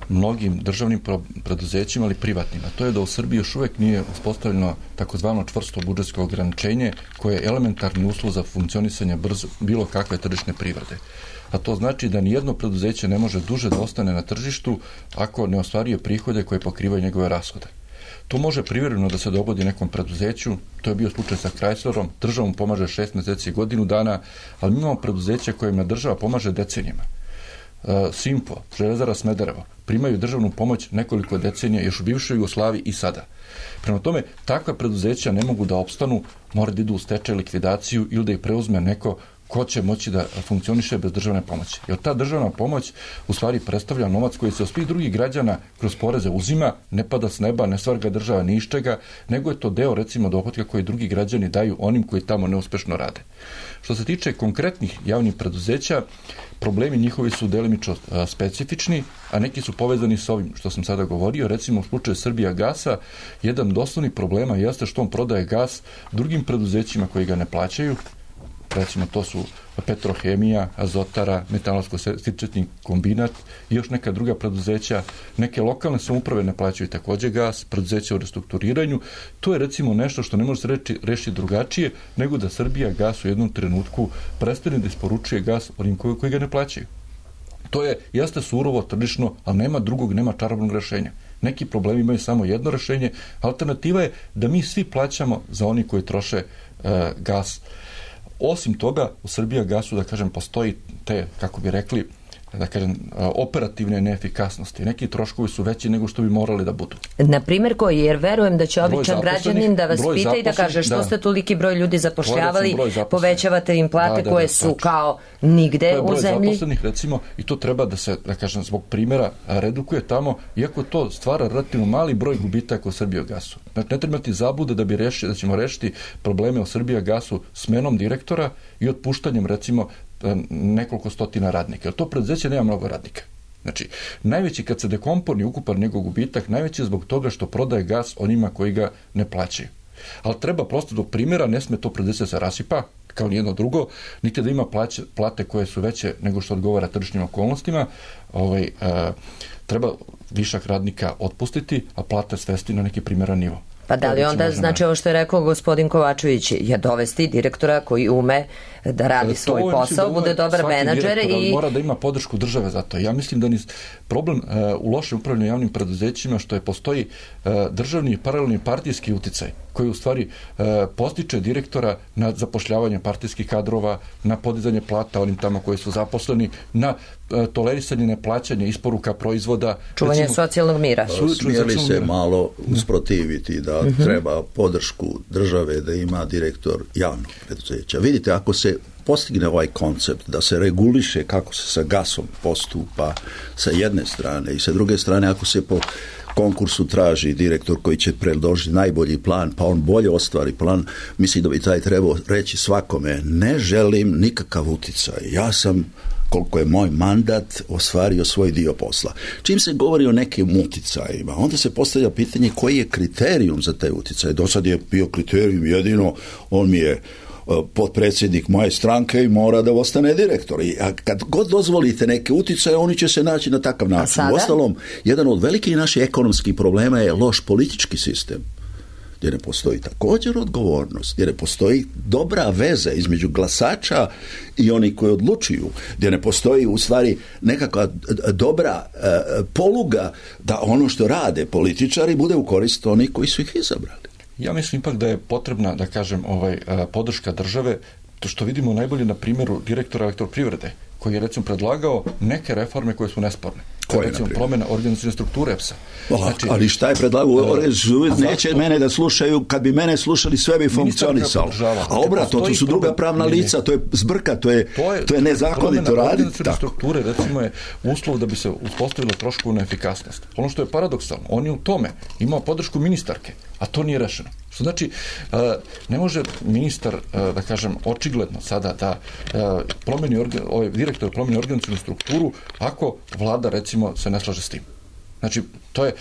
mnogim državnim preduzećima, ali privatnim. A to je da u Srbiji još uvijek nije uspostavljeno takozvano čvrsto budžetsko ograničenje koje je elementarni uslov za funkcionisanje bilo kakve tržišne privrede. A to znači da nijedno preduzeće ne može duže da ostane na tržištu ako ne ostvaruje prihode koje pokrivaju njegove rashode. To može privremeno da se dogodi nekom preduzeću, to je bio slučaj sa Chryslerom, država mu pomaže 6 mjeseci i godinu dana, ali mi imamo preduzeća kojima država pomaže decenijama. Simpo, Železara Smederevo, primaju državnu pomoć nekoliko decenija još u bivšoj Jugoslaviji i sada. Prema tome, takva preduzeća ne mogu da opstanu, mora da idu u stečaj, likvidaciju ili da ih preuzme neko ko će moći da funkcioniše bez državne pomoći. Jer ta državna pomoć u stvari predstavlja novac koji se od svih drugih građana kroz poreze uzima, ne pada s neba, ne stvar ga država ni iz čega, nego je to deo recimo dohotka koji drugi građani daju onim koji tamo neuspešno rade. Što se tiče konkretnih javnih preduzeća, problemi njihovi su delimično specifični, a neki su povezani s ovim što sam sada govorio. Recimo u slučaju Srbijagasa, jedan od osnovnih problema jeste što on prodaje gas drugim preduzećima koji ga ne plaćaju. Recimo to su Petrohemija, Azotara, Metalsko-stičetni kombinat i još neka druga preduzeća. Neke lokalne samouprave ne plaćaju također gas, preduzeća u restrukturiranju. To je recimo nešto što ne može se rešiti drugačije nego da Srbijagas u jednom trenutku prestane da isporučuje gas onim koji ga ne plaćaju. To je, jeste surovo, tržišno, ali nema drugog, nema čarobnog rešenja. Neki problemi imaju samo jedno rešenje. Alternativa je da mi svi plaćamo za oni koji troše gas. Osim toga, u Srbijagasu, da kažem, postoji te, kako bi rekli, da kažem, operativne neefikasnosti. Neki troškovi su veći nego što bi morali da budu. Na primjer koji? Jer verujem da će običan građanin da vas pita i da kaže što ste toliki broj ljudi zapošljavali, povećavate im plate koje su kao nigde u zemlji. To je broj zaposlenih, recimo, i to treba da se, da kažem, zbog primjera redukuje tamo, iako to stvara relativno mali broj gubitaka u Srbijagasu. Znači, ne treba ti zabude da ćemo rešiti probleme u Srbijagasu smenom direktora i otpuštanjem, recimo, nekoliko stotina radnika. Jer to preduzeće nema mnogo radnika. Znači, najveći kad se dekomponi ukupan njegov gubitak, najveći je zbog toga što prodaje gas onima koji ga ne plaćaju. Ali treba prosto do primjera, ne sme to preduzeće se rasipa, kao nijedno drugo, niti da ima plate koje su veće nego što odgovara tržišnim okolnostima. Treba višak radnika otpustiti, a plate svesti na neki primjeran nivo. Pa da li onda, znači ovo što je rekao gospodin Kovačević, je dovesti direktora koji ume da radi svoj posao, bude dobar menadžer i... Mora da ima podršku države za to. Ja mislim da problem u lošem upravljanju javnim preduzećima što je postoji državni i paralelni partijski uticaj koji u stvari postiče direktora na zapošljavanje partijskih kadrova, na podizanje plata onim tamo koji su zaposleni, na tolerisanje neplaćanja isporuka proizvoda. Čuvanje recimo, socijalnog mira. Smijeli se malo usprotiviti da treba podršku države da ima direktor javnog preduzeća. Vidite, ako se postigne ovaj koncept da se reguliše kako se sa gasom postupa sa jedne strane i sa druge strane ako se po konkursu traži direktor koji će predložiti najbolji plan, pa on bolje ostvari plan, mislim da bi taj trebao reći svakome, ne želim nikakav uticaj, ja sam koliko je moj mandat ostvario svoj dio posla. Čim se govori o nekim uticajima, onda se postavlja pitanje koji je kriterijum za taj uticaj. Do sad je bio kriterijum jedino, on mi je potpredsjednik moje stranke i mora da ostane direktor. A kad god dozvolite neke uticaje, oni će se naći na takav način. Uostalom, jedan od velikih naših ekonomskih problema je loš politički sistem, gdje ne postoji također odgovornost, gdje ne postoji dobra veza između glasača i oni koji odlučuju, gdje ne postoji u stvari nekakva dobra poluga da ono što rade političari bude u korist onih koji su ih izabrali. Ja mislim ipak da je potrebna, da kažem, podrška države, to što vidimo najbolje na primjeru direktora Elektroprivrede, koji je recimo predlagao neke reforme koje su nesporne. Recimo promjena organizacione strukture EPS-a. Znači, ali šta je predlagao? Neće mene da slušaju, kad bi mene slušali sve bi funkcionisalo. A obratno, to su druga pravna lica, to je zbrka, to je nezakonito raditi. Organizacione strukture recimo je uslov da bi se uspostavila troškovna efikasnost. Ono što je paradoksalno, on je u tome imao podršku ministarke, a to nije rešeno. Što znači, ne može ministar, da kažem, očigledno sada da direktor promeni organizacionu strukturu ako vlada, recimo, se ne slaže s tim. Znači, to je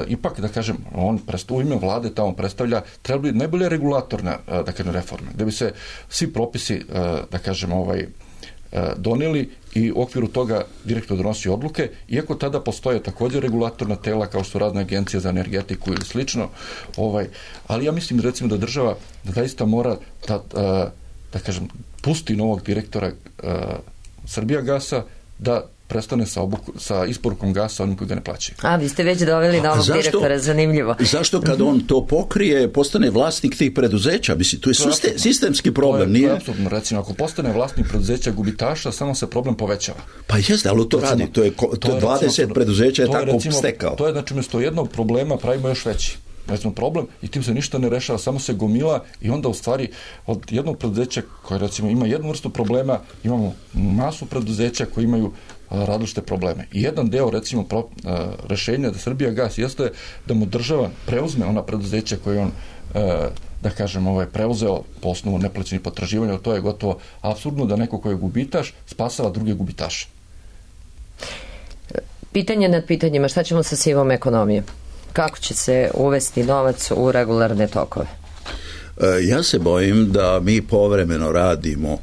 ipak, da kažem, on u ime vlade tamo predstavlja, treba biti najbolje regulatorna, da kažem, reforme, da bi se svi propisi, da kažem, donijeli i u okviru toga direktor donosi odluke, iako tada postoje također regulatorna tela kao što razne agencije za energetiku ili slično, ali ja mislim recimo da država da zaista mora da kažem pusti novog direktora Srbijagasa da prestane sa isporukom gasa onim koji ga ne plaćaju. A, vi ste već doveli novog direktora, zanimljivo. Zašto kad on to pokrije, postane vlasnik tih preduzeća? Mislim, to je sistemski problem, nije? To je apsolutno, recimo, ako postane vlasnik preduzeća gubitaša, samo se problem povećava. Pa jeste, ali to radi, to je 20 preduzeća je tako stekao. To je, znači, umjesto jednog problema pravimo još veći. Recimo problem i tim se ništa ne rešava, samo se gomila i onda u stvari od jednog preduzeća koje recimo ima jednu vrstu problema, imamo masu preduzeća koji imaju različite probleme. I jedan deo recimo rešenja da Srbijagas jeste da mu država preuzme ona preduzeća koje on da kažem, preuzeo po osnovu neplaćenih potraživanja, to je gotovo apsurdno da neko ko je gubitaš spasava druge gubitaše. Pitanje nad pitanjima, šta ćemo sa sivom ekonomijom? Kako će se uvesti novac u regularne tokove? Ja se bojim da mi povremeno radimo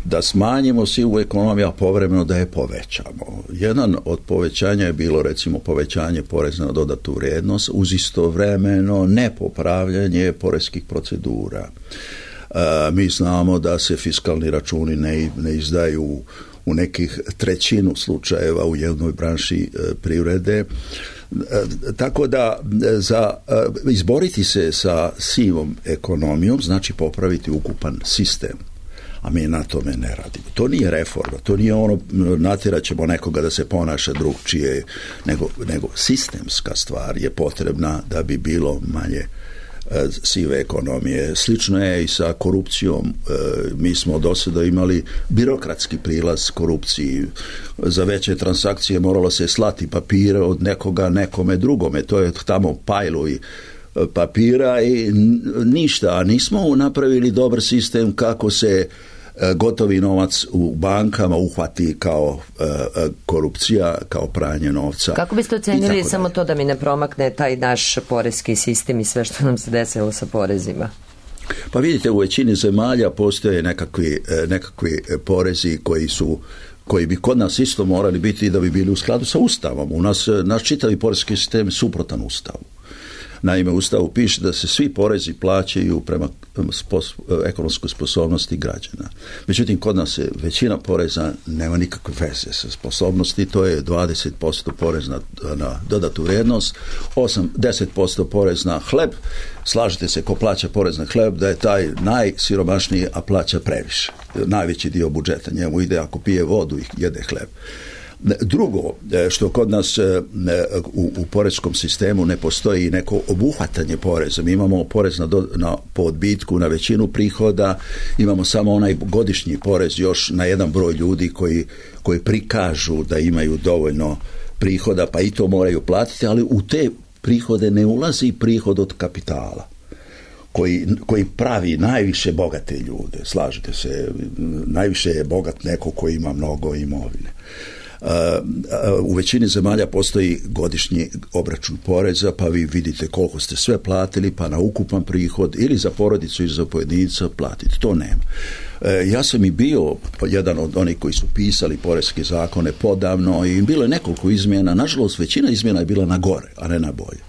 da smanjimo sivu ekonomiju, a povremeno da je povećamo. Jedan od povećanja je bilo recimo povećanje poreza na dodatu vrijednost uz istovremeno nepopravljanje poreskih procedura. Mi znamo da se fiskalni računi ne izdaju u nekih 1/3 slučajeva u jednoj branši privrede. Tako da za izboriti se sa sivom ekonomijom znači popraviti ukupan sistem, a mi na tome ne radimo. To nije reforma, to nije ono natjerat ćemo nekoga da se ponaša drugčije, nego sistemska stvar je potrebna da bi bilo manje sive ekonomije. Slično je i sa korupcijom. Mi smo do sada imali birokratski prilaz korupciji. Za veće transakcije moralo se slati papire od nekoga nekome drugome. To je tamo pajlovi papira i ništa. A nismo napravili dobar sistem kako se gotovi novac u bankama uhvati kao korupcija, kao pranje novca. Kako biste ocenili samo to da mi ne promakne taj naš poreski sistem i sve što nam se desilo sa porezima? Pa vidite, u većini zemalja postoje nekakvi porezi koji bi kod nas isto morali biti da bi bili u skladu sa Ustavom. Naš čitavi poreski sistem je suprotan Ustavu. Naime, u Ustavu piše da se svi porezi plaćaju prema ekonomskoj sposobnosti građana. Međutim, kod nas je većina poreza nema nikakve veze sa sposobnosti, to je 20% porez na dodatu vrijednost, 10% porez na hleb. Slažete se, ko plaća porez na hleb, da je taj najsiromašniji, a plaća previše. Najveći dio budžeta njemu ide ako pije vodu i jede hleb. Drugo, što kod nas u poreskom sistemu ne postoji neko obuhvatanje poreza. Mi imamo porez po odbitku na većinu prihoda, imamo samo onaj godišnji porez još na jedan broj ljudi koji prikažu da imaju dovoljno prihoda, pa i to moraju platiti, ali u te prihode ne ulazi prihod od kapitala koji pravi najviše bogate ljude. Slažete se, najviše je bogat neko koji ima mnogo imovine. U većini zemalja postoji godišnji obračun poreza, pa vi vidite koliko ste sve platili, pa na ukupan prihod ili za porodicu ili za pojedinca platiti. To nema. Ja sam i bio jedan od onih koji su pisali poreske zakone podavno i bilo je nekoliko izmjena. Nažalost, većina izmjena je bila na gore, a ne na bolje.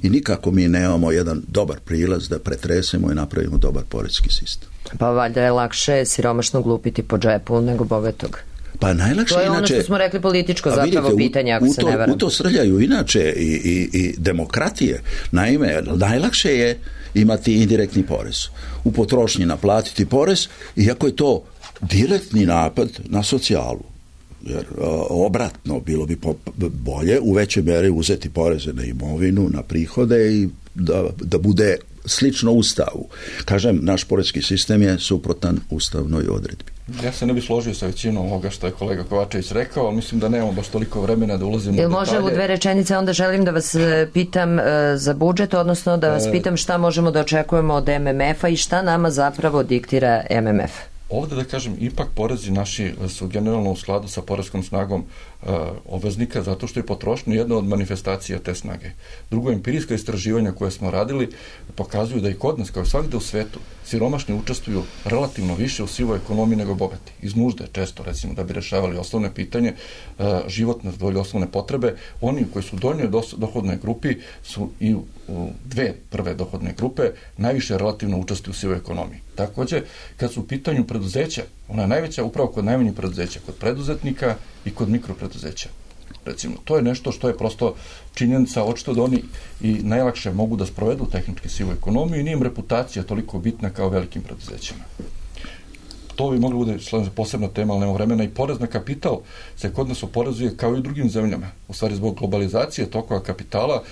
I nikako mi nemamo jedan dobar prilaz da pretresemo i napravimo dobar poreski sistem. Pa valjda je lakše siromašnog lupiti po džepu nego bogatog. Pa najlakše to je inače, ono što smo rekli političko zapravo vidite, pitanje, ako se ne varam. U to srljaju inače i demokratije. Naime, najlakše je imati indirektni porez. U potrošnji naplatiti porez, iako je to direktni napad na socijalu. Jer obratno, bilo bi bolje u većoj mjeri uzeti poreze na imovinu, na prihode i da bude slično Ustavu. Kažem, naš poreski sistem je suprotan ustavnoj odredbi. Ja se ne bih složio sa većinom ovoga što je kolega Kovačević rekao, ali mislim da nemamo baš toliko vremena da ulazimo u detalje. Može u 2 rečenice, onda želim da vas pitam za budžet, odnosno da vas pitam šta možemo da očekujemo od MMF-a i šta nama zapravo diktira MMF. Ovdje da kažem, ipak porezi naši su generalno u skladu sa poreskom snagom obveznika, zato što je potrošnja jedna od manifestacija te snage. Drugo, empirijska istraživanja koje smo radili pokazuju da i kod nas, kao i svakde u svetu, siromašni učestvuju relativno više u sivoj ekonomiji nego bogati. Iz nužde često, recimo, da bi rešavali osnovne pitanje, životne zadovoljile osnovne potrebe. Oni koji su u donjoj dohodnoj grupi su i u 2 prve dohodne grupe najviše relativno učestvuju u sivoj ekonomiji. Također, kad su u pitanju preduzeća, Ona je najveća upravo kod najmanjih preduzeća, kod preduzetnika i kod mikropreduzeća. Recimo, to je nešto što je prosto činjenica, očito da oni i najlakše mogu da sprovedu tehnički sivu ekonomiju i nije im reputacija toliko bitna kao velikim preduzećima. To bi moglo bude posebna tema, ali nema vremena. I porez na kapital se kod nas oporezuje kao i u drugim zemljama. U stvari, zbog globalizacije tokova kapitala,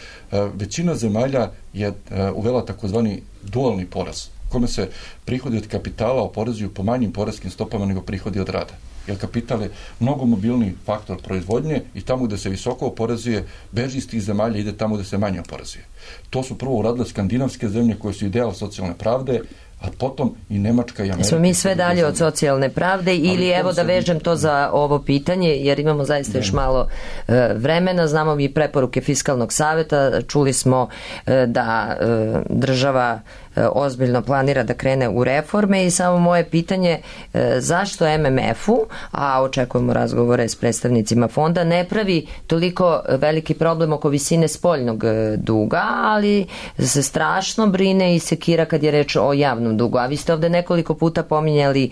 većina zemalja je uvela takozvani dualni porez, kome se prihodi od kapitala oporezuju po manjim poreskim stopama nego prihodi od rada. Jer kapital je mnogo mobilni faktor proizvodnje i tamo gde se visoko oporezuje, beži iz tih zemalja, ide tamo gde se manje oporezuje. To su prvo uradile skandinavske zemlje koje su ideal socijalne pravde, a potom i Nemačka i Amerika. Smo mi sve dalje od socijalne pravde ili evo da vežem to za ovo pitanje, jer imamo zaista još malo vremena, znamo i preporuke Fiskalnog saveta, čuli smo da država ozbiljno planira da krene u reforme i samo moje pitanje zašto MMF-u, a očekujemo razgovore s predstavnicima fonda, ne pravi toliko veliki problem oko visine spoljnog duga, ali se strašno brine i sekira kad je reč o javnom dugu. A vi ste ovde nekoliko puta pominjali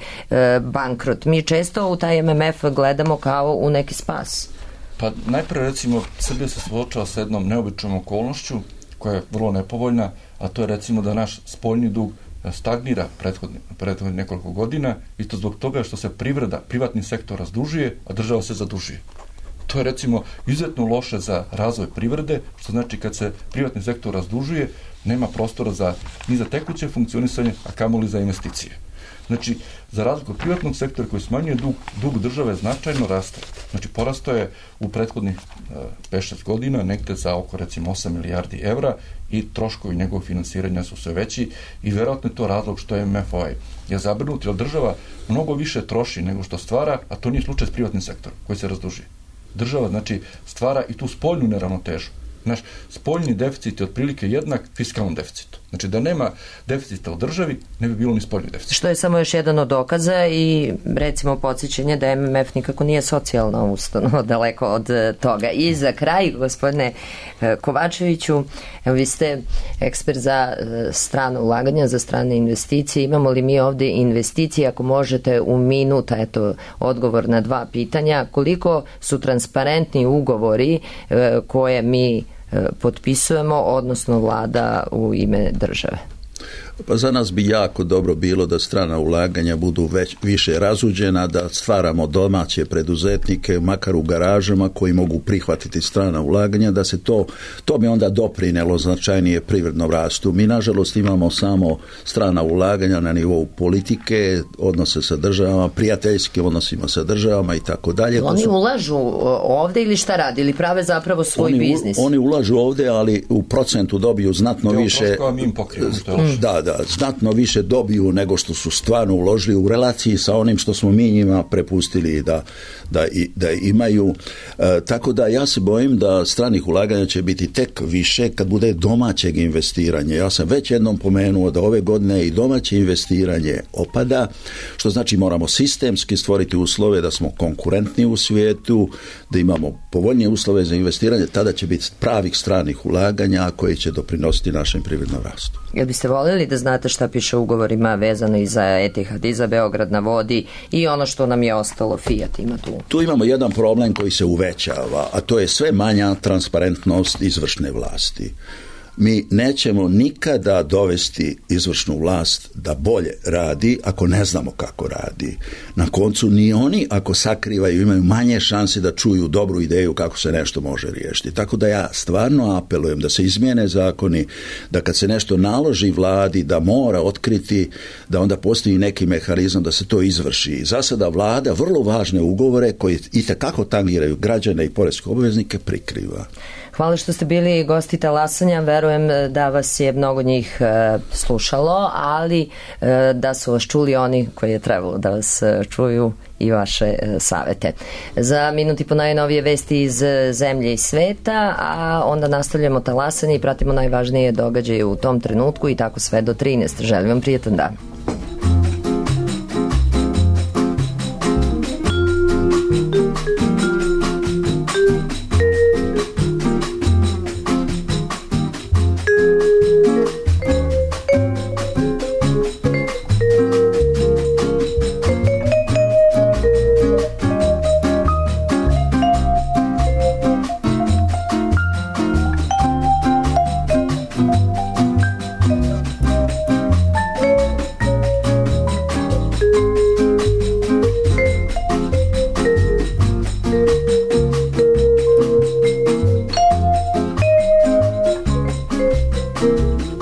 bankrot. Mi često u taj MMF gledamo kao u neki spas. Pa najpre recimo Srbija se suočava sa jednom neobičnom okolnošću koja je vrlo nepovoljna, a to je recimo da naš spoljni dug stagnira prethodnih nekoliko godina i to zbog toga što se privatni sektor razdužuje, a država se zadužuje. To je recimo izuzetno loše za razvoj privrede, što znači kad se privatni sektor razdužuje, nema prostora ni za tekuće funkcionisanje, a kamoli za investicije. Znači, za razliku od privatnog sektora koji smanjuje dug države značajno raste. Znači, porastao je u prethodnih 5-6 godina negde za oko recimo 8 milijardi evra i troškovi njegovog finansiranja su sve veći i verovatno je to razlog što je MMF je zabrinut, jer država mnogo više troši nego što stvara, a to nije slučaj s privatnim sektorom koji se razdužuje. Država, znači, stvara i tu spoljnu neravnotežu. Naš spoljni deficit je otprilike jednak fiskalnom deficitu. Znači da nema deficita u državi, ne bi bilo ni spoljni deficit. Što je samo još jedan od dokaza i recimo podsjećanje da MMF nikako nije socijalna ustanova, daleko od toga. I za kraj, gospodine Kovačeviću, evo vi ste ekspert za strano ulaganja, za strane investicije. Imamo li mi ovde investicije, ako možete u minuta, eto, odgovor na 2 pitanja, koliko su transparentni ugovori koje mi potpisujemo, odnosno vlada u ime države? Pa za nas bi jako dobro bilo da strana ulaganja budu više razuđena, da stvaramo domaće preduzetnike, makar u garažama, koji mogu prihvatiti strana ulaganja, da se to bi onda doprinelo značajnije privrednom rastu. Mi, nažalost, imamo samo strana ulaganja na nivou politike, odnose sa državama, prijateljski odnosima sa državama i tako dalje. Oni ulažu ovde ili šta radi? Ili prave zapravo svoj biznis? Oni ulažu ovde, ali u procentu dobiju znatno više. Da, znatno više dobiju nego što su stvarno uložili u relaciji sa onim što smo mi njima prepustili da imaju. Tako da ja se bojim da stranih ulaganja će biti tek više kad bude domaćeg investiranja. Ja sam već jednom pomenuo da ove godine i domaće investiranje opada, što znači moramo sistemski stvoriti uslove da smo konkurentni u svijetu, da imamo povoljnije uslove za investiranje, tada će biti pravih stranih ulaganja koji će doprinositi našem privrednom rastu. Jel biste voljeli da znate šta piše u ugovorima vezano i za Etihad, i za Beograd na vodi i ono što nam je ostalo, Fiat ima tu? Tu imamo jedan problem koji se uvećava, a to je sve manja transparentnost izvršne vlasti. Mi nećemo nikada dovesti izvršnu vlast da bolje radi ako ne znamo kako radi. Na koncu ni oni ako sakrivaju imaju manje šanse da čuju dobru ideju kako se nešto može riješiti. Tako da ja stvarno apelujem da se izmijene zakoni, da kad se nešto naloži vladi da mora otkriti, da onda postoji neki mehanizam da se to izvrši. Za sada vlada vrlo važne ugovore koji itekako tangiraju građane i poreske obveznike prikriva. Hvala što ste bili gosti Talasanja, verujem da vas je mnogo njih slušalo, ali da su vas čuli oni koji je trebalo da vas čuju i vaše savete. Za minut i po najnovije vesti iz zemlje i sveta, a onda nastavljamo Talasanje i pratimo najvažnije događaje u tom trenutku i tako sve do 13. Želim vam prijetan dan. Thank you.